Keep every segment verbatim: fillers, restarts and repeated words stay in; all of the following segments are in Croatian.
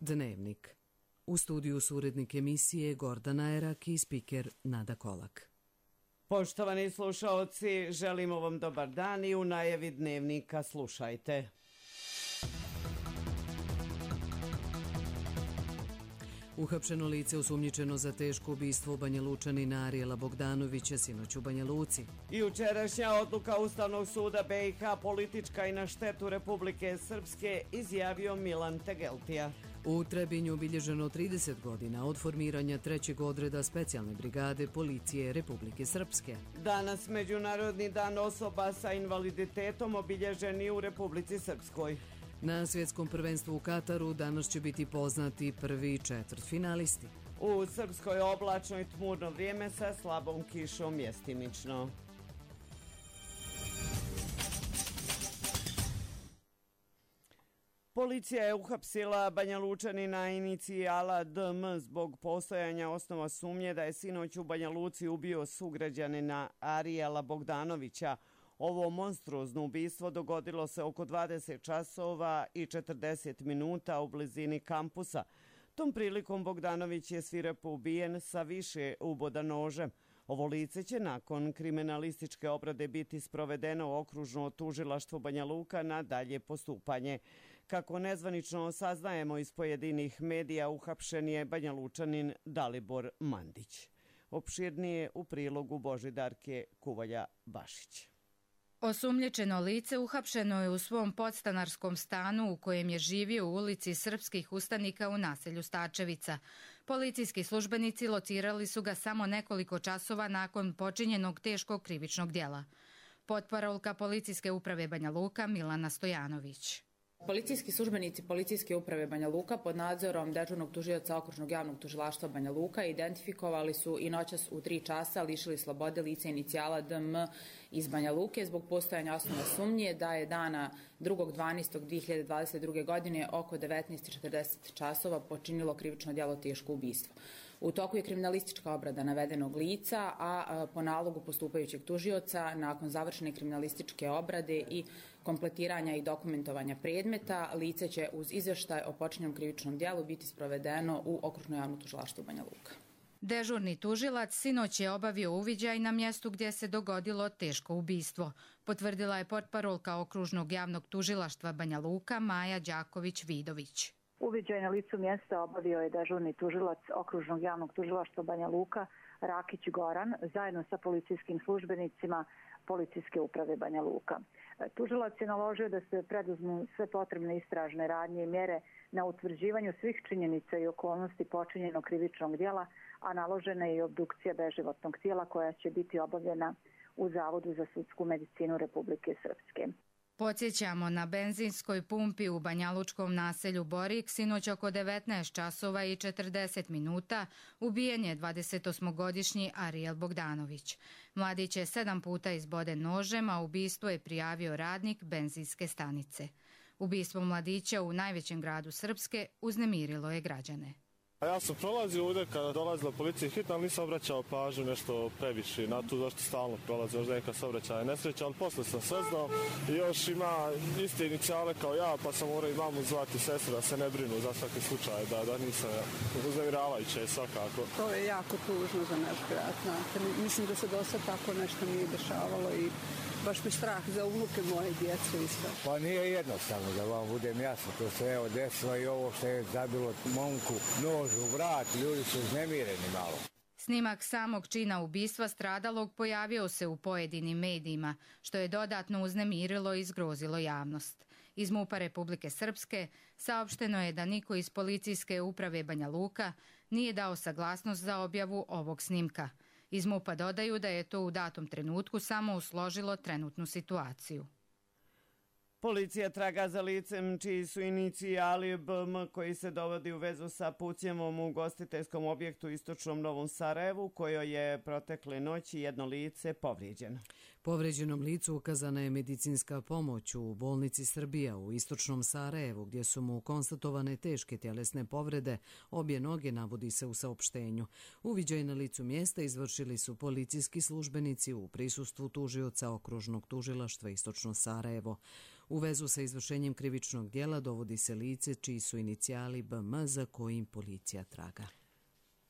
Dnevnik. U studiju su urednik emisije Gordana Erak i spiker Nada Kolak. Poštovani slušaoci, želimo vam dobar dan i u najavi Dnevnika slušajte. Uhapšeno lice osumnjičeno za teško ubistvo Banjalučanina Arijela Bogdanovića sinoć u Banja Luci. I jučerašnja odluka Ustavnog suda B i H politička i na štetu Republike Srpske, izjavio Milan Tegeltija. U Trebinju obilježeno trideset godina od formiranja trećeg odreda specijalne brigade policije Republike Srpske. Danas Međunarodni dan osoba sa invaliditetom obilježen i u Republici Srpskoj. Na svjetskom prvenstvu u Kataru danas će biti poznati prvi četvrtfinalisti. U Srpskoj oblačno i tmurno vrijeme sa slabom kišom mjestimično. Policija je uhapsila Banjalučanina inicijala D M zbog postojanja osnova sumnje da je sinoć u Banja Luci ubio sugrađanina Arijela Bogdanovića. Ovo monstruozno ubistvo dogodilo se oko dvadeset časova i četrdeset minuta u blizini kampusa. Tom prilikom Bogdanović je svirepo ubijen sa više uboda nožem. Ovo lice će nakon kriminalističke obrade biti sprovedeno u okružno tužilaštvo Banja Luka na dalje postupanje. Kako nezvanično saznajemo iz pojedinih medija, uhapšen je Banjalučanin Dalibor Mandić. Opširnije u prilogu Božidarke Kuvalja-Bašić. Osumnjičeno lice uhapšeno je u svom podstanarskom stanu u kojem je živio u ulici Srpskih ustanika u naselju Stačevica. Policijski službenici locirali su ga samo nekoliko časova nakon počinjenog teškog krivičnog djela. Potparolka Policijske uprave Banja Luka Milana Stojanović. Policijski službenici Policijske uprave Banja Luka pod nadzorom dežurnog tužioca Okružnog javnog tužilaštva Banja Luka identifikovali su i noćas u tri časa lišili slobode lice inicijala D M iz Banja Luke zbog postojanja osnova sumnje da je dana drugog dvanaestog dve hiljade dvadeset druge. godine oko devetnaest i četrdeset časova počinilo krivično djelo teško ubistvo. U toku je kriminalistička obrada navedenog lica, a po nalogu postupajućeg tužioca, nakon završene kriminalističke obrade i kompletiranja i dokumentovanja predmeta, lice će uz izvještaj o počinjenom krivičnom djelu biti sprovedeno u Okružno javno tužilaštvo Banja Luka. Dežurni tužilac sinoć je obavio uviđaj na mjestu gdje se dogodilo teško ubistvo. Potvrdila je portparolka Okružnog javnog tužilaštva Banja Luka Maja Đaković-Vidović. Uviđaj na licu mjesta obavio je dežurni tužilac Okružnog javnog tužilaštva Banja Luka Rakić Goran zajedno sa policijskim službenicima Policijske uprave Banja Luka. Tužilac je naložio da se preduzmu sve potrebne istražne radnje i mjere na utvrđivanju svih činjenica i okolnosti počinjenog krivičnog djela, a naložena je i obdukcija beživotnog tijela koja će biti obavljena u Zavodu za sudsku medicinu Republike Srpske. Podsjećamo, na benzinskoj pumpi u banjalučkom naselju Borik sinoć oko devetnaest časova i četrdeset minuta ubijen je dvadesetosmogodišnji Arijel Bogdanović. Mladić je sedam puta izboden nožem, a ubistvo je prijavio radnik benzinske stanice. Ubistvo mladića u najvećem gradu Srpske uznemirilo je građane. Ja sam prolazio ovdje kada dolazila policija hitna, ali nisam obraćao pažnju nešto previše na to zašto stalno prolazi, još neka saobraćaja nesreća, ali posle sam saznao i još ima iste inicijale kao ja, pa sam morao i mamu zvati sestru da se ne brinu za svaki slučaj, da, da nisam uznemiravajuće svakako. To je jako tužno za naš grad, znate. Mislim da se do sad tako nešto nije dešavalo i baš mi strah za unuke moje djece isto. Pa nije jednostavno da vam budem jasno, to se evo desilo i ovo što je zabilo momku nož u vrat, ljudi su uznemireni malo. Snimak samog čina ubistva stradalog pojavio se u pojedinim medijima, što je dodatno uznemirilo i zgrozilo javnost. Iz MUP-a Republike Srpske saopšteno je da niko iz Policijske uprave Banja Luka nije dao saglasnost za objavu ovog snimka. Iz MUP-a dodaju da je to u datom trenutku samo usložilo trenutnu situaciju. Policija traga za licem čiji su inicijali B M koji se dovodi u vezu sa pucnjavom u ugostiteljskom objektu u istočnom Novom Sarajevu, kojoj je protekle noći jedno lice povrijeđeno. Povrijeđenom licu ukazana je medicinska pomoć u bolnici Srbija u istočnom Sarajevu, gdje su mu konstatovane teške tjelesne povrede, obje noge, navodi se u saopštenju. Uviđaj na licu mjesta izvršili su policijski službenici u prisustvu tužioca Okružnog tužilaštva istočno Sarajevo. U vezu sa izvršenjem krivičnog djela dovodi se lice čiji su inicijali B M za kojim policija traga.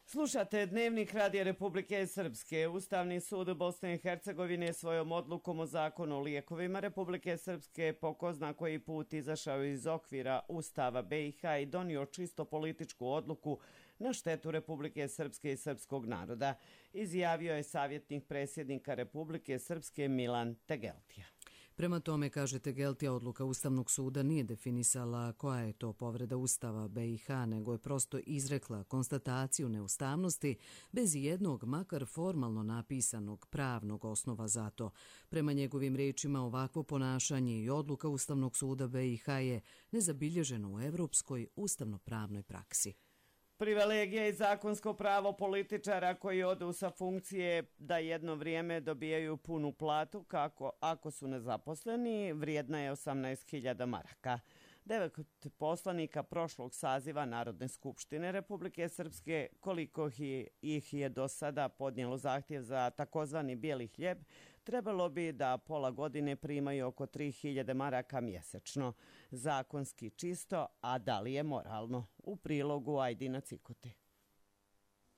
Slušate Dnevnik Radija Republike Srpske. Ustavni sud Bosne i Hercegovine svojom odlukom o zakonu o lijekovima Republike Srpske po ko zna koji put izašao iz okvira Ustava B i H i donio čisto političku odluku na štetu Republike Srpske i srpskog naroda, izjavio je savjetnik predsjednika Republike Srpske Milan Tegeltija. Prema tome, kaže Tegeltija, odluka Ustavnog suda nije definisala koja je to povreda Ustava B i H, nego je prosto izrekla konstataciju neustavnosti bez jednog, makar formalno napisanog pravnog osnova za to. Prema njegovim rečima, ovakvo ponašanje i odluka Ustavnog suda B i H je nezabilježeno u evropskoj ustavno-pravnoj praksi. Privilegija i zakonsko pravo političara koji odu sa funkcije da jedno vrijeme dobijaju punu platu kako ako su nezaposleni, vrijedna je osamnaest hiljada maraka. Devet poslanika prošlog saziva Narodne skupštine Republike Srpske, koliko ih je do sada podnijelo zahtjev za takozvani bijeli hljeb, trebalo bi da pola godine primaju oko tri hiljade maraka mjesečno. Zakonski čisto, a da li je moralno? U prilogu Ajdina Cikote.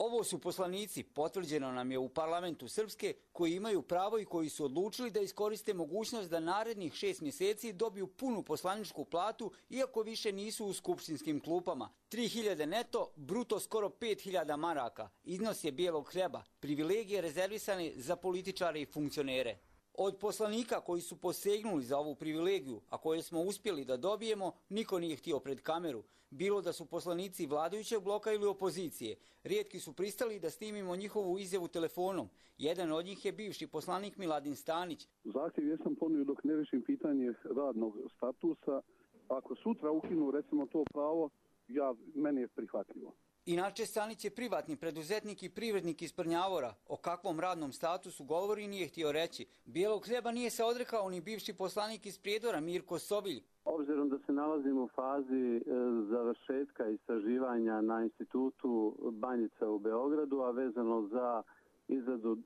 Ovo su poslanici, potvrđeno nam je u parlamentu Srpske, koji imaju pravo i koji su odlučili da iskoriste mogućnost da narednih šest mjeseci dobiju punu poslaničku platu, iako više nisu u skupštinskim klupama. tri hiljade neto, bruto skoro pet hiljada maraka. Iznos je bijelog hljeba, privilegije rezervisane za političare i funkcionere. Od poslanika koji su posegnuli za ovu privilegiju, a koje smo uspjeli da dobijemo, niko nije htio pred kameru. Bilo da su poslanici vladajućeg bloka ili opozicije. Rijetki su pristali da snimimo njihovu izjavu telefonom. Jedan od njih je bivši poslanik Miladin Stanić. Zahtjev jesam ponio dok ne rešim pitanje radnog statusa. Ako sutra ukinu recimo to pravo, ja, meni je prihvatljivo. Inače, Stanić je privatni preduzetnik i privrednik iz Prnjavora. O kakvom radnom statusu govori nije htio reći. Bijelog hljeba nije se odrekao ni bivši poslanik iz Prijedora Mirko Sobilj. Obzirom da se nalazimo u fazi završetka istraživanja na institutu Banjica u Beogradu, a vezano za izradu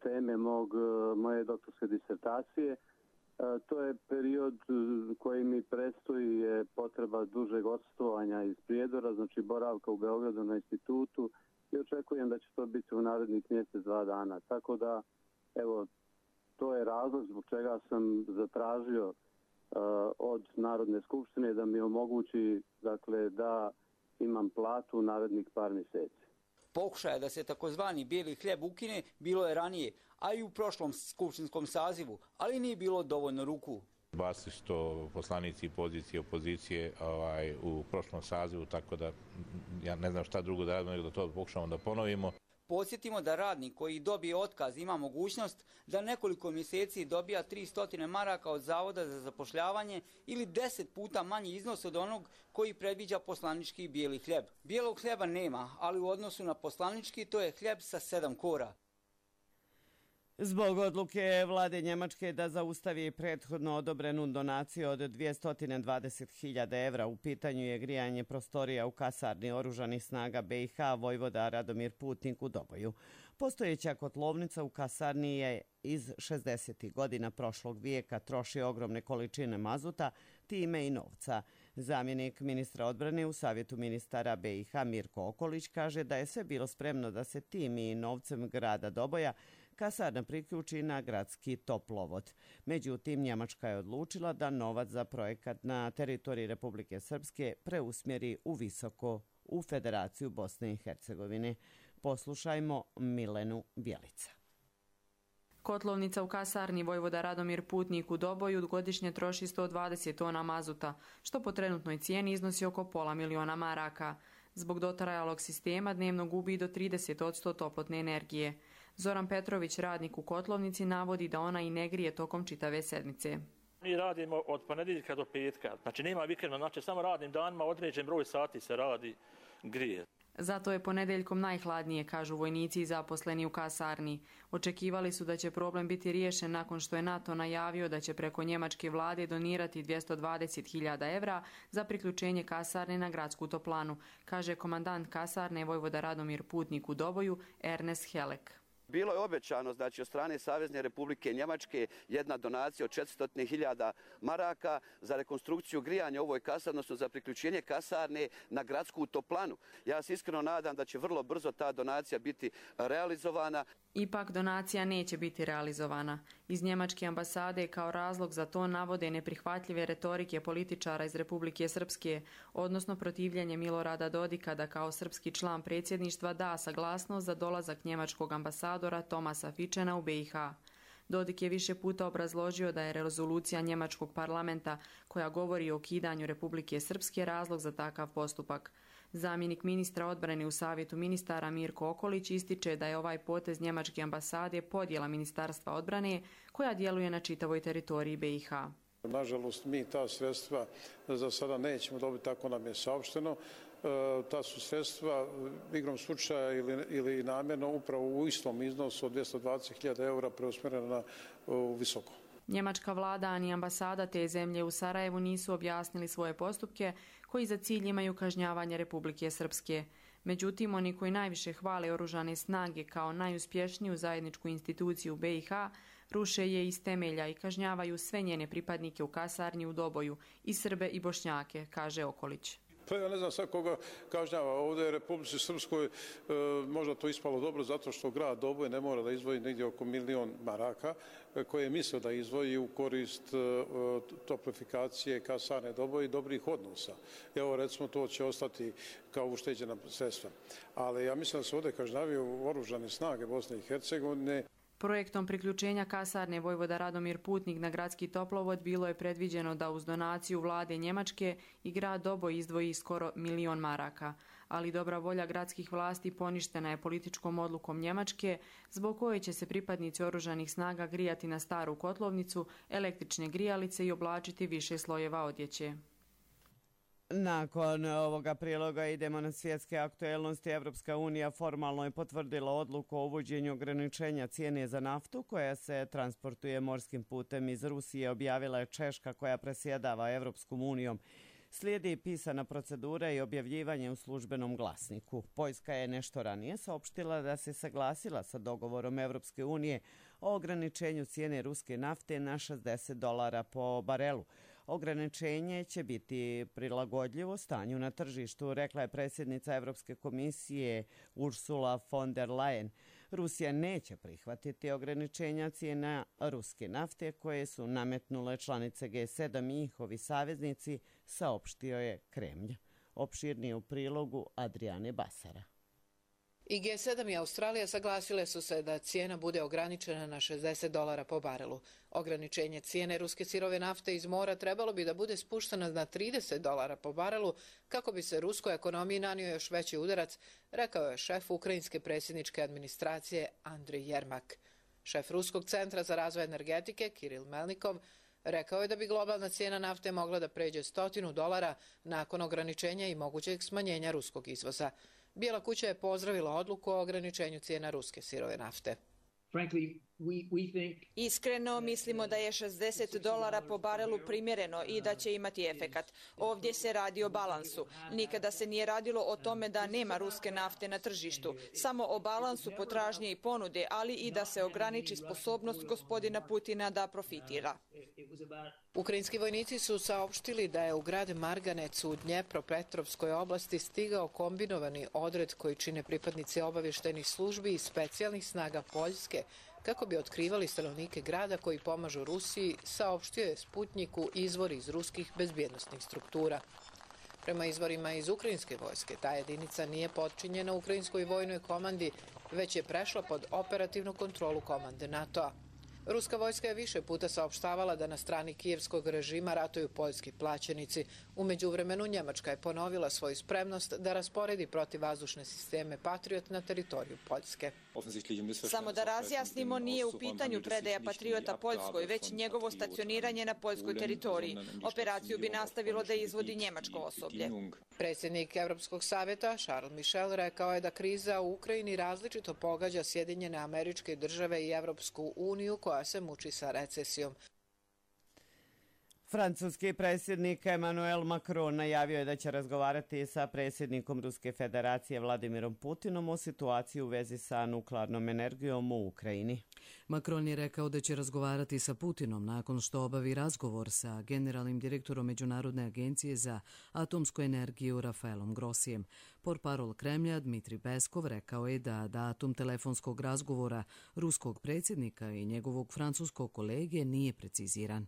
teme mog, moje doktorske disertacije, to je period koji mi predstoji je potreba dužeg odstovanja iz Prijedora, znači boravka u Beogradu na institutu, i očekujem da će to biti u narednih mjesec, dva dana. Tako da, evo, to je razlog zbog čega sam zatražio uh, od Narodne skupštine da mi omogući, dakle, da imam platu u narednih par mjeseci. Pokušaja da se takozvani bijeli hljeb ukine bilo je ranije, a i u prošlom skupštinskom sazivu, ali nije bilo dovoljno ruku. Bacili su to poslanici pozicije i opozicije ovaj, u prošlom sazivu, tako da ja ne znam šta drugo da radimo nego da to pokušamo da ponovimo. Podsjetimo da radnik koji dobije otkaz ima mogućnost da nekoliko mjeseci dobija tristo maraka od Zavoda za zapošljavanje ili deset puta manji iznos od onog koji predviđa poslanički bijeli hljeb. Bijelog hljeba nema, ali u odnosu na poslanički to je hljeb sa sedam kora. Zbog odluke vlade Njemačke da zaustavi prethodno odobrenu donaciju od dvjesto dvadeset hiljada evra, u pitanju je grijanje prostorija u kasarni oružanih snaga B i H vojvoda Radomir Putnik u Doboju. Postojeća kotlovnica u kasarni je iz šezdesetih godina prošlog vijeka, troši ogromne količine mazuta, time i novca. Zamjenik ministra odbrane u Savjetu ministara B i H Mirko Okolić kaže da je sve bilo spremno da se tim i novcem grada Doboja kasarna priključi na gradski toplovod. Međutim, Njemačka je odlučila da novac za projekat na teritoriji Republike Srpske preusmjeri u visoko u Federaciju Bosne i Hercegovine. Poslušajmo Milenu Bjelica. Kotlovnica u kasarni vojvoda Radomir Putnik u Doboju godišnje troši sto dvadeset tona mazuta, što po trenutnoj cijeni iznosi oko pola miliona maraka. Zbog dotrajalog sistema dnevno gubi do trideset posto toplotne energije. Zoran Petrović, radnik u kotlovnici, navodi da ona i ne grije tokom čitave sedmice. Mi radimo od ponedjeljka do petka, znači nema vikenda, znači samo radnim danima određen broj sati se radi, grije. Zato je ponedeljkom najhladnije, kažu vojnici i zaposleni u kasarni. Očekivali su da će problem biti riješen nakon što je NATO najavio da će preko njemačke vlade donirati dvjesto dvadeset hiljada evra za priključenje kasarne na gradsku toplanu, kaže komandant kasarne vojvoda Radomir Putnik u Doboju Ernest Helek. Bilo je obećano, znači, od strane Savezne Republike Njemačke jedna donacija od četiristo hiljada maraka za rekonstrukciju grijanja u ovoj kasarni, odnosno za priključenje kasarne na gradsku toplanu. Ja se iskreno nadam da će vrlo brzo ta donacija biti realizovana. Ipak donacija neće biti realizovana. Iz njemačke ambasade kao razlog za to navode neprihvatljive retorike političara iz Republike Srpske, odnosno protivljenje Milorada Dodika da kao srpski član predsjedništva da saglasnost za dolazak njemačkog ambasadora Tomasa Fičena u B i H. Dodik je više puta obrazložio da je rezolucija njemačkog parlamenta koja govori o ukidanju Republike Srpske razlog za takav postupak. Zamjenik ministra odbrane u Savjetu ministara Mirko Okolić ističe da je ovaj potez njemačke ambasade podjela Ministarstva odbrane koja djeluje na čitavoj teritoriji B i H. Nažalost, mi ta sredstva za sada nećemo dobiti, tako nam je saopšteno. Ta su sredstva igrom slučaja ili, ili namjerno upravo u istom iznosu od dvjesto dvadeset hiljada eura preusmjerena na visoko. Njemačka vlada ani ambasada te zemlje u Sarajevu nisu objasnili svoje postupke koji za cilj imaju kažnjavanje Republike Srpske. Međutim, oni koji najviše hvale oružane snage kao najuspješniju zajedničku instituciju B i H ruše je iz temelja i kažnjavaju sve njene pripadnike u kasarni u Doboju, i Srbe i Bošnjake, kaže Okolić. Pa ja ne znam sad koga kažnjava. Ovdje je Republici Srpskoj e, možda to ispalo dobro zato što grad Doboj ne mora da izdvoji negdje oko milion maraka e, koje je mislio da izdvoji u korist e, toplifikacije kasarne Doboj i dobrih odnosa. Evo recimo to će ostati kao ušteđena sredstva. Ali ja mislim da se ovdje kažnjavaju oružane snage Bosne i Hercegovine. Projektom priključenja kasarne Vojvoda Radomir Putnik na gradski toplovod bilo je predviđeno da uz donaciju vlade Njemačke i grad Doboj izdvoji skoro milion maraka, ali dobra volja gradskih vlasti poništena je političkom odlukom Njemačke, zbog koje će se pripadnici oružanih snaga grijati na staru kotlovnicu, električne grijalice i oblačiti više slojeva odjeće. Nakon ovoga priloga idemo na svjetske aktuelnosti. Evropska unija formalno je potvrdila odluku o uvođenju ograničenja cijene za naftu koja se transportuje morskim putem iz Rusije, objavila je Češka koja presjedava Evropskom unijom. Slijedi pisana procedura i objavljivanje u službenom glasniku. Poljska je nešto ranije saopštila da se saglasila sa dogovorom Evropske unije o ograničenju cijene ruske nafte na šezdeset dolara po barelu. Ograničenje će biti prilagodljivo stanju na tržištu, rekla je predsjednica Evropske komisije Ursula von der Leyen. Rusija neće prihvatiti ograničenja cijena ruske nafte koje su nametnule članice G sedam i njihovi saveznici, saopštio je Kremlj. Opširnije u prilogu Adriane Basara. I G sedam i Australija saglasile su se da cijena bude ograničena na šezdeset dolara po barelu. Ograničenje cijene ruske sirove nafte iz mora trebalo bi da bude spušteno na trideset dolara po barelu kako bi se ruskoj ekonomiji nanio još veći udarac, rekao je šef ukrajinske predsjedničke administracije Andrej Jermak. Šef Ruskog centra za razvoj energetike Kiril Melnikov rekao je da bi globalna cijena nafte mogla da pređe stotinu dolara nakon ograničenja i mogućeg smanjenja ruskog izvoza. Bijela kuća je pozdravila odluku o ograničenju cijena ruske sirove nafte. Iskreno mislimo da je šezdeset dolara po barelu primjereno i da će imati efekat. Ovdje se radi o balansu. Nikada se nije radilo o tome da nema ruske nafte na tržištu, samo o balansu potražnje i ponude, ali i da se ograniči sposobnost gospodina Putina da profitira. Ukrajinski vojnici su saopštili da je u grad Marganec u Dnjepropetrovskoj oblasti stigao kombinovani odred koji čine pripadnici obavještajnih službi i specijalnih snaga Poljske kako bi otkrivali stanovnike grada koji pomažu Rusiji, saopštio je Sputnjiku izvor iz ruskih bezbjednostnih struktura. Prema izvorima iz ukrajinske vojske, ta jedinica nije potčinjena ukrajinskoj vojnoj komandi, već je prešla pod operativnu kontrolu komande NATO-a. Ruska vojska je više puta saopštavala da na strani kijevskog režima ratuju poljski plaćenici. U međuvremenu Njemačka je ponovila svoju spremnost da rasporedi protivvazdušne sisteme Patriot na teritoriju Poljske. Samo da razjasnimo, nije u pitanju predaja Patriota Poljskoj, već njegovo stacioniranje na poljskoj teritoriji. Operaciju bi nastavilo da izvodi njemačko osoblje. Predsjednik Evropskog savjeta Charles Michel rekao je da kriza u Ukrajini različito pogađa Sjedinjene Američke Države i Evropsku uniju koja se muči sa recesijom. Francuski predsjednik Emmanuel Macron najavio je da će razgovarati sa predsjednikom Ruske federacije Vladimirom Putinom o situaciji u vezi sa nuklearnom energijom u Ukrajini. Macron je rekao da će razgovarati sa Putinom nakon što obavi razgovor sa generalnim direktorom Međunarodne agencije za atomsku energiju Rafaelom Grossijem. Portparol Kremlja Dmitrij Peskov rekao je da datum telefonskog razgovora ruskog predsjednika i njegovog francuskog kolege nije preciziran.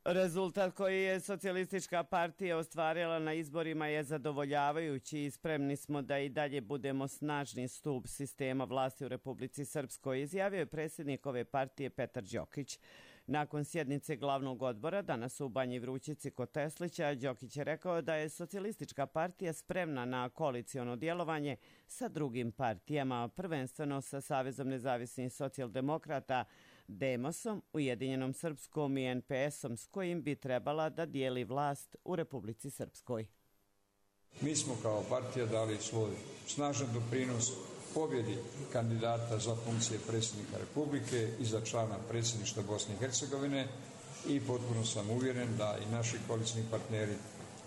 Rezultat koji je Socijalistička partija ostvarila na izborima je zadovoljavajući i spremni smo da i dalje budemo snažni stup sistema vlasti u Republici Srpskoj, izjavio je predsjednik ove partije Petar Đokić. Nakon sjednice glavnog odbora danas u Banji Vrućici kod Teslića, Đokić je rekao da je Socijalistička partija spremna na koaliciono djelovanje sa drugim partijama, prvenstveno sa Savezom nezavisnih socijaldemokrata, Demosom, Ujedinjenom Srpskom i en pe esom s kojim bi trebala da dijeli vlast u Republici Srpskoj. Mi smo kao partija dali svoj snažan doprinos pobjedi kandidata za funkcije predsjednika Republike i za člana predsjedništva Bosne i Hercegovine i potpuno sam uvjeren da i naši koalicijni partneri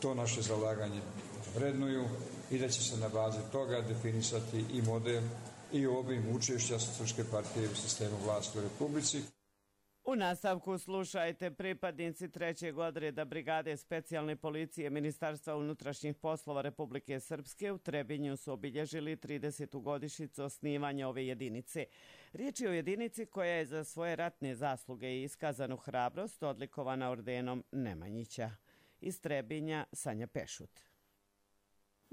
to naše zalaganje vrednuju i da će se na bazi toga definisati i model i obim učešća Socijalističke partije u sistemu vlasti u Republici. U nastavku slušajte, pripadnici trećeg odreda Brigade specijalne policije Ministarstva unutrašnjih poslova Republike Srpske u Trebinju su obilježili tridesetu godišnjicu osnivanja ove jedinice. Riječ je o jedinici koja je za svoje ratne zasluge i iskazanu hrabrost odlikovana ordenom Nemanjića. Iz Trebinja Sanja Pešut.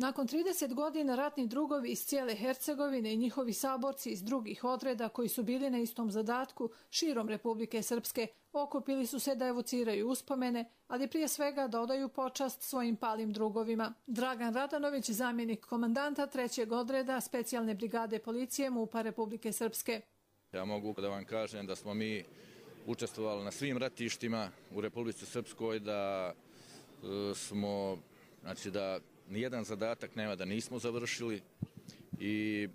Nakon trideset godina ratni drugovi iz cijele Hercegovine i njihovi saborci iz drugih odreda koji su bili na istom zadatku širom Republike Srpske okupili su se da evociraju uspomene, ali prije svega da odaju počast svojim palim drugovima. Dragan Radanović, zamjenik komandanta trećeg odreda specijalne brigade policije MUP-a Republike Srpske. Ja mogu da vam kažem da smo mi učestvovali na svim ratištima u Republici Srpskoj, da e, smo, znači da nijedan zadatak nema da nismo završili i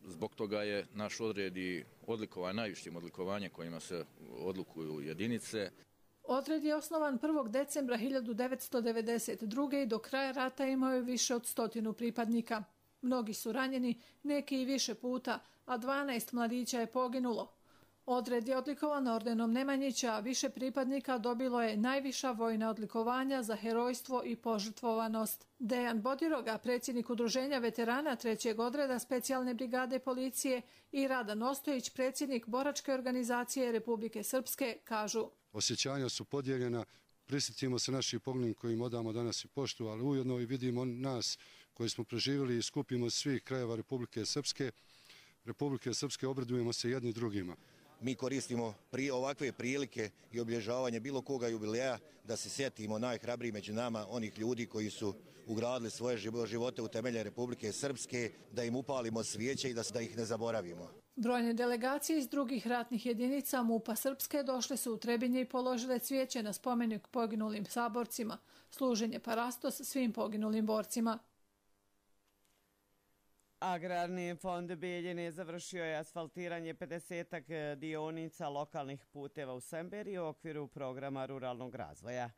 zbog toga je naš odred i odlikovan najvišim odlikovanjem kojima se odlikuju jedinice. Odred je osnovan prvog decembra hiljadu devetsto devedeset druge. i do kraja rata imao je više od stotinu pripadnika. Mnogi su ranjeni, neki i više puta, a dvanaest mladića je poginulo. Odred je odlikovan ordenom Nemanjića, a više pripadnika dobilo je najviša vojna odlikovanja za herojstvo i požrtvovanost. Dejan Bodiroga, predsjednik udruženja veterana trećeg odreda specijalne brigade policije, i Radan Ostojić, predsjednik boračke organizacije Republike Srpske, kažu: Osjećanja su podijeljena, prisjetimo se naših poginulih kojim odamo danas i poštu, ali ujedno i vidimo nas koji smo preživjeli i skupimo svih krajeva Republike Srpske. Republike Srpske obradujemo se jedni drugima. Mi koristimo pri ovakve prilike i obilježavanje bilo koga jubileja da se sjetimo najhrabriji među nama, onih ljudi koji su ugradili svoje živote u temelje Republike Srpske, da im upalimo svijeće i da, da ih ne zaboravimo. Brojne delegacije iz drugih ratnih jedinica MUP-a Srpske došle su u Trebinje i položile cvijeće na spomenik poginulim saborcima, služenje parastos svim poginulim borcima. Agrarni fond Bijeljine završio je asfaltiranje pedesetak dionica lokalnih puteva u Semberiji u okviru programa ruralnog razvoja.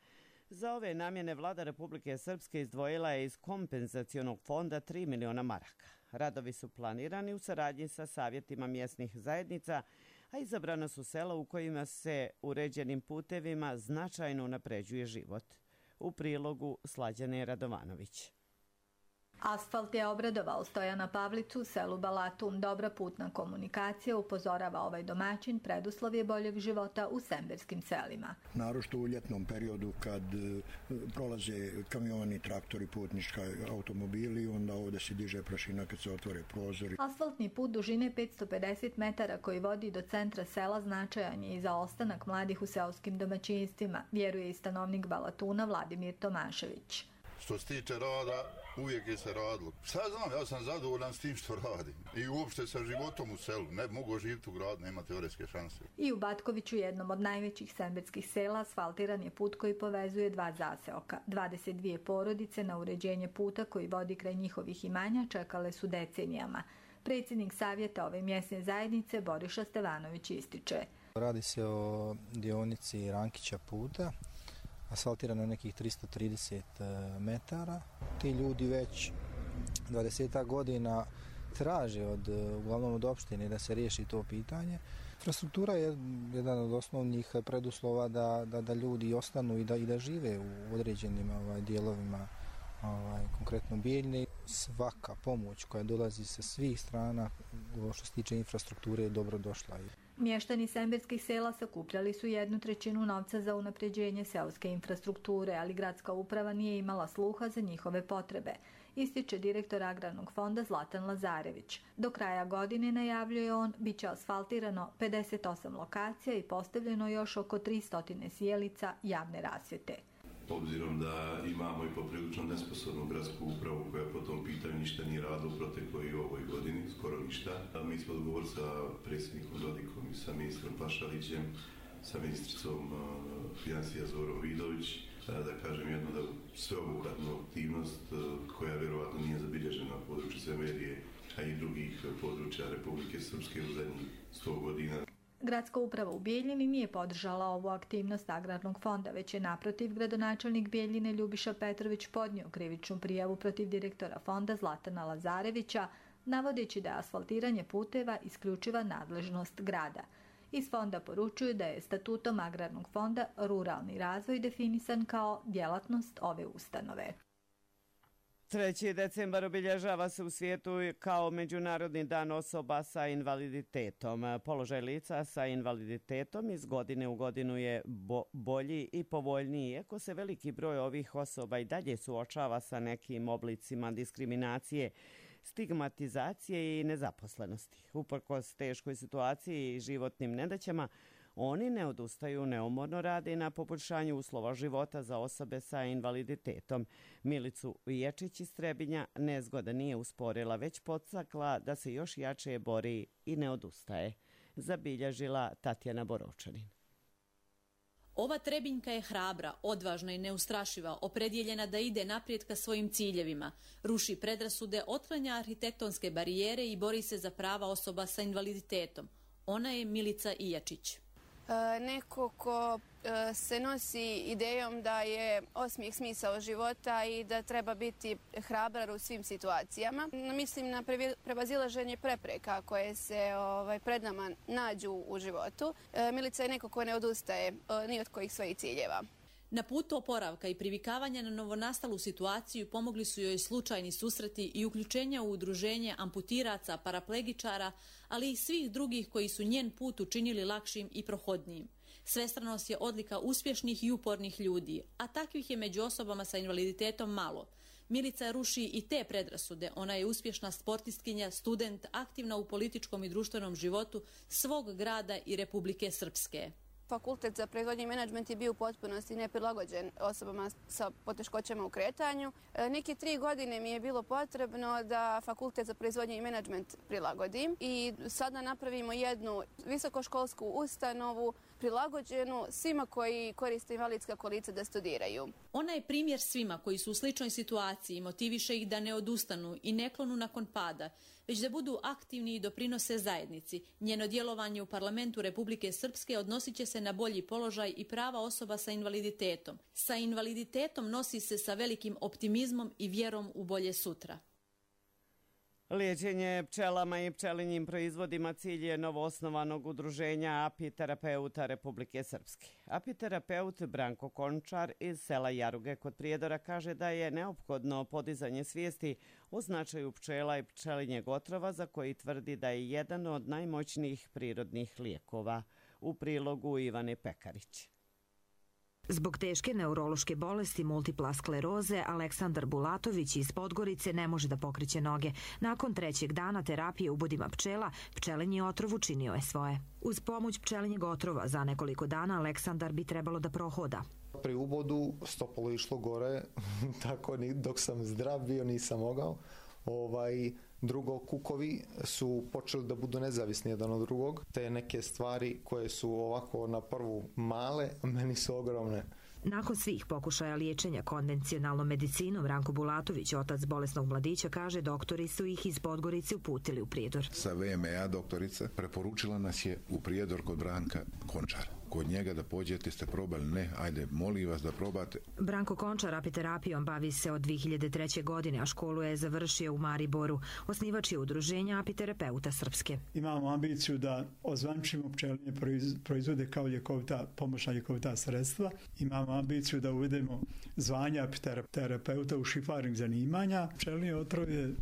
Za ove namjene vlada Republike Srpske izdvojila je iz kompenzacionog fonda tri miliona maraka. Radovi su planirani u saradnji sa savjetima mjesnih zajednica, a izabrana su sela u kojima se uređenim putevima značajno unapređuje život. U prilogu Slađane Radovanović. Asfalt je obradovao Stojana Pavlicu, selu Balatum. Dobra putna komunikacija, upozorava ovaj domaćin, preduslov je boljeg života u semberskim selima. Naročito u ljetnom periodu kad prolaze kamioni, traktori, putnički automobili, onda ovdje se diže prašina kad se otvore prozori. Asfaltni put dužine petsto pedeset metara koji vodi do centra sela značajan je i za ostanak mladih u seoskim domaćinstvima, vjeruje i stanovnik Balatuna Vladimir Tomašević. Što se tiče rada, uvijek je se radilo. Sad znam, ja sam zadovoljan s tim što radim. I uopšte sa životom u selu. Ne mogu živjeti u gradu, nema teoretske šanse. I u Batkoviću, jednom od najvećih semberskih sela, asfaltiran je put koji povezuje dva zaseoka. dvadeset dvije porodice na uređenje puta koji vodi kraj njihovih imanja čekale su decenijama. Predsjednik savjeta ove mjesne zajednice Boriša Stevanović ističe. Radi se o dionici Rankića puta, asfaltirano je nekih tristo trideset metara. Ti ljudi već dvadeset godina traže od, uglavnom od opštine da se riješi to pitanje. Infrastruktura je jedan od osnovnih preduslova da, da, da ljudi ostanu i da, i da žive u određenim ovaj, dijelovima, ovaj, konkretno Bijeljine. Svaka pomoć koja dolazi sa svih strana što se tiče infrastrukture je dobro došla. Mještani sembirskih sela sakupljali su jednu trećinu novca za unapređenje seoske infrastrukture, ali gradska uprava nije imala sluha za njihove potrebe, ističe direktor Agrarnog fonda Zlatan Lazarević. Do kraja godine, najavljuje on, bit će asfaltirano pedeset osam lokacija i postavljeno još oko tristo sjelica javne rasvjete. Obzirom da imamo i poprilično nesposobnu gradsku upravu koja po tom pitanju ništa nije radila u protekloj i ovoj godini, skoro ništa. A mi smo dogovor sa predsjednikom Dodikom i sa ministrom Pašalićem, sa ministricom uh, financija Zorom Vidović, uh, da kažem jedno da sveobuhvatnu aktivnost uh, koja vjerovatno nije zabilježena na području Severije, a i drugih područja Republike Srpske u zadnjih sto godina. Gradska uprava u Bijeljini nije podržala ovu aktivnost Agrarnog fonda, već je naprotiv gradonačelnik Bijeljine Ljubiša Petrović podnio krivičnu prijavu protiv direktora fonda Zlatana Lazarevića, navodeći da je asfaltiranje puteva isključiva nadležnost grada. Iz fonda poručuju da je statutom Agrarnog fonda ruralni razvoj definisan kao djelatnost ove ustanove. treći decembar obilježava se u svijetu kao Međunarodni dan osoba sa invaliditetom. Položaj lica sa invaliditetom iz godine u godinu je bo- bolji i povoljniji, iako se veliki broj ovih osoba i dalje suočava sa nekim oblicima diskriminacije, stigmatizacije i nezaposlenosti. Uprkos teškoj situaciji i životnim nedaćama, oni ne odustaju, neumorno rade na poboljšanju uslova života za osobe sa invaliditetom. Milicu Viječić iz Trebinja nezgoda nije usporila, već podstakla da se još jače bori i ne odustaje. Zabilježila Tatjana Boročanin. Ova Trebinjka je hrabra, odvažna i neustrašiva, opredjeljena da ide naprijed ka svojim ciljevima, ruši predrasude, otklanja arhitektonske barijere i bori se za prava osoba sa invaliditetom. Ona je Milica Ijačić. Neko ko se nosi idejom da je osmijeh smisao života i da treba biti hrabar u svim situacijama. Mislim na prevazilaženje prepreka koje se ovaj, pred nama nađu u životu. Milica je neko ko ne odustaje ni od kojih svojih ciljeva. Na putu oporavka i privikavanja na novonastalu situaciju pomogli su joj slučajni susreti i uključenja u udruženje amputiraca, paraplegičara, ali i svih drugih koji su njen put učinili lakšim i prohodnijim. Svestranost je odlika uspješnih i upornih ljudi, a takvih je među osobama sa invaliditetom malo. Milica ruši i te predrasude. Ona je uspješna sportistkinja, student, aktivna u političkom i društvenom životu svog grada i Republike Srpske. Fakultet za proizvodnju i menadžment je bio u potpunosti neprilagođen osobama sa poteškoćama u kretanju. Neke tri godine mi je bilo potrebno da Fakultet za proizvodnju i menadžment prilagodim i sada napravimo jednu visokoškolsku ustanovu prilagođenu svima koji koriste invalidska kolica da studiraju. Ona je primjer svima koji su u sličnoj situaciji i motiviše ih da ne odustanu i ne klonu nakon pada, već da budu aktivni i doprinose zajednici. Njeno djelovanje u parlamentu Republike Srpske odnosit će se na bolji položaj i prava osoba sa invaliditetom. Sa invaliditetom nosi se sa velikim optimizmom i vjerom u bolje sutra. Liječenje pčelama i pčelinjim proizvodima cilj je novoosnovanog udruženja Apiterapeuta Republike Srpske. Apiterapeut Branko Končar iz sela Jaruge kod Prijedora kaže da je neophodno podizanje svijesti o značaju pčela i pčelinjeg otrova za koji tvrdi da je jedan od najmoćnijih prirodnih lijekova. U prilogu Ivane Pekarić. Zbog teške neurološke bolesti multipla skleroze, Aleksandar Bulatović iz Podgorice ne može da pokreće noge. Nakon trećeg dana terapije ubodima pčela, pčelinji otrov učinio je svoje. Uz pomoć pčelinjeg otrova za nekoliko dana Aleksandar bi trebalo da prohoda. Pri ubodu stopalo išlo gore, tako dok sam zdrav bio nisam mogao. Ovaj, drugo, kukovi su počeli da budu nezavisni jedan od drugog. Te neke stvari koje su ovako na prvu male, meni su ogromne. Nakon svih pokušaja liječenja konvencionalnom medicinom, Ranko Bulatović, otac bolesnog mladića, kaže doktori su ih iz Podgorice uputili u Prijedor. Sa V M A doktorica preporučila nas je u Prijedor kod Branka Končara. Kod njega da pođete, ste probali? Ne, ajde, molim vas da probate. Branko Končar apiterapijom bavi se od dvije hiljade treće. godine, a školu je završio u Mariboru. Osnivač je udruženja apiterapeuta Srpske. Imamo ambiciju da ozvančimo pčelinje proizvode kao ljekovita, pomoćna ljekovita sredstva. Imamo ambiciju da uvedemo zvanja apiterapeuta u šifarnih zanimanja. Pčelinje otrov je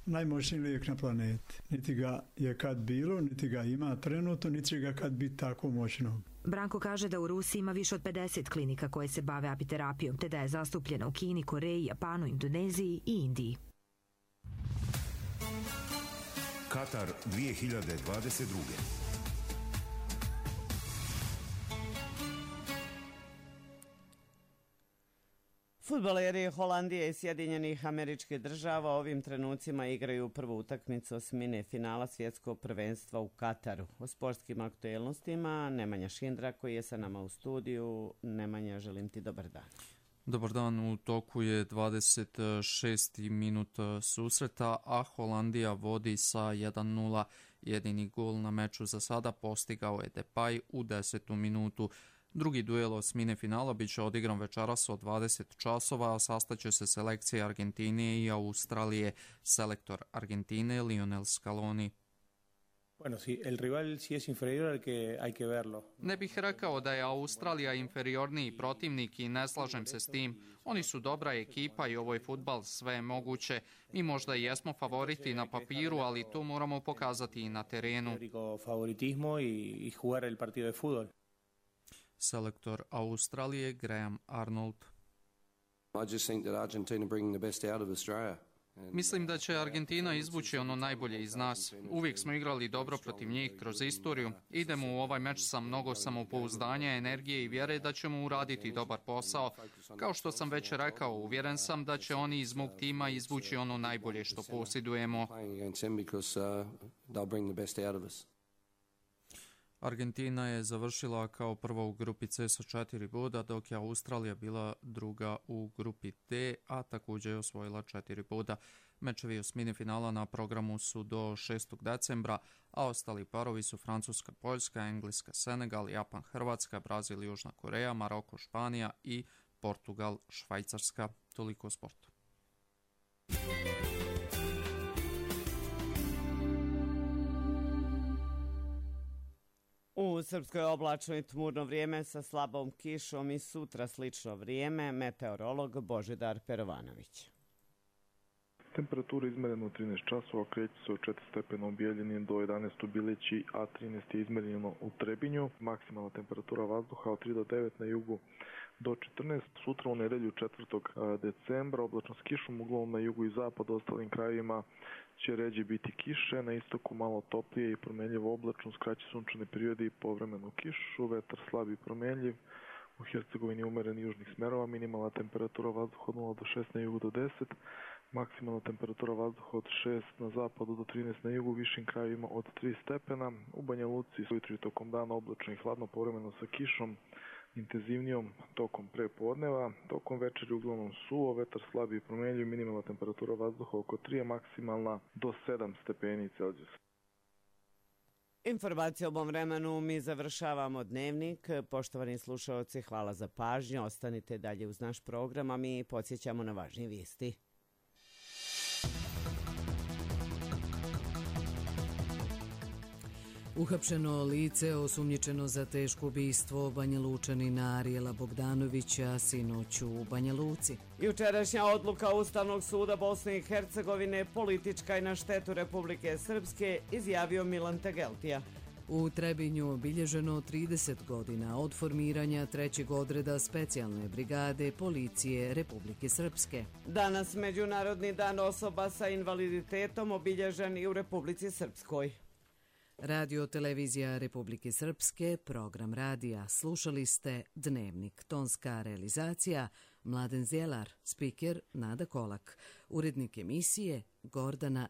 najmoćniji lijek na planeti. Niti ga je kad bilo, niti ga ima trenutno, niti će ga kad biti tako moćno. Branko kaže da u Rusiji ima više od pedeset klinika koje se bave apiterapijom, te da je zastupljena u Kini, Koreji, Japanu, Indoneziji i Indiji. Katar dvije hiljade dvadeset druge. Fudbaleri Holandije i Sjedinjenih Američkih Država ovim trenucima igraju prvu utakmicu osmine finala svjetskog prvenstva u Kataru. O sportskim aktuelnostima Nemanja Šindra koji je sa nama u studiju. Nemanja, želim ti dobar dan. Dobar dan, u toku je dvadeset šesti minut susreta, a Holandija vodi sa jedan nula. Jedini gol na meču za sada postigao je Depay u desetu minutu. Drugi duel osmine finala bit će odigran večeras od dvadeset časova, a sastaće se selekcije Argentine i Australije. Selektor Argentine Lionel Scaloni. Bueno, si el rival si es inferior, hay que hay que verlo. Ne bih rekao da je Australija inferiorniji protivnik i ne slažem se s tim. Oni su dobra ekipa i ovo je fudbal, sve je moguće. Mi možda i jesmo favoriti na papiru, ali to moramo pokazati i na terenu. Favoritismo i i jugar el partido de fútbol. Selektor Australije Graham Arnold. I just think that Argentina bringing the best out of Australia. Mislim da će Argentina izvući ono najbolje iz nas. Uvijek smo igrali dobro protiv njih kroz istoriju. Idemo u ovaj meč sa mnogo samopouzdanja, energije i vjere da ćemo uraditi dobar posao. Kao što sam već rekao, uvjeren sam da će oni iz mog tima izvući ono najbolje što posjedujemo. Argentina je završila kao prva u grupi C sa četiri boda, dok je Australija bila druga u grupi D, a također je osvojila četiri boda. Mečevi osmine finala na programu su do šestog decembra, a ostali parovi su Francuska, Poljska, Engleska, Senegal, Japan, Hrvatska, Brazil, Južna Koreja, Maroko, Španija i Portugal, Švajcarska. Toliko o sportu. U Srpskoj oblačno i tmurno vrijeme sa slabom kišom i sutra slično vrijeme, meteorolog Božidar Perovanović. Temperatura izmerena u trinaest časova, kreće se od četiri stepena u Bijeljini do jedanaest u Bileći, a trinaest je izmereno u Trebinju. Maksimalna temperatura vazduha od tri do devet na jugu do četrnaest. Sutra u nedelju četvrtog decembra oblačno s kišom, uglavnom na jugu i zapadu, ostalim krajevima će ređe biti kiše, na istoku malo toplije i promjenljivo oblačno, skraći sunčane periode i povremenu kišu, vetar slab i promjenljiv, u Hercegovini umeren južnih smerova, minimalna temperatura vazduha od nula do šest na jugu do deset, maksimalna temperatura vazduha od šest na zapadu do trinaest na jugu, višim krajevima od tri stepena, u Banja Luci ujutro i tokom dana oblačno i hladno, povremeno sa kišom, intenzivnijom tokom prepodneva, tokom večeri uglavnom suvo, vetar slab i promjenljiv, minimalna temperatura vazduha oko tri, maksimalna do sedam stepeni Celzijusa. Informacije o ovom vremenu mi završavamo dnevnik. Poštovani slušalci, hvala za pažnju. Ostanite dalje uz naš program, a mi podsjećamo na važnije vijesti. Uhapšeno lice osumnjičeno za teško ubistvo Banja Lučanina Arijela Bogdanovića sinoć u Banja Luci. Jučerašnja odluka Ustavnog suda Bosne i Hercegovine politička i na štetu Republike Srpske, izjavio Milan Tegeltija. U Trebinju obilježeno trideset godina od formiranja trećeg odreda specijalne brigade policije Republike Srpske. Danas Međunarodni dan osoba sa invaliditetom obilježen i u Republici Srpskoj. Radio Televizija Republike Srpske, program radija. Slušali ste Dnevnik, tonska realizacija Mladen Zjelar, spiker Nada Kolak, urednik emisije Gordana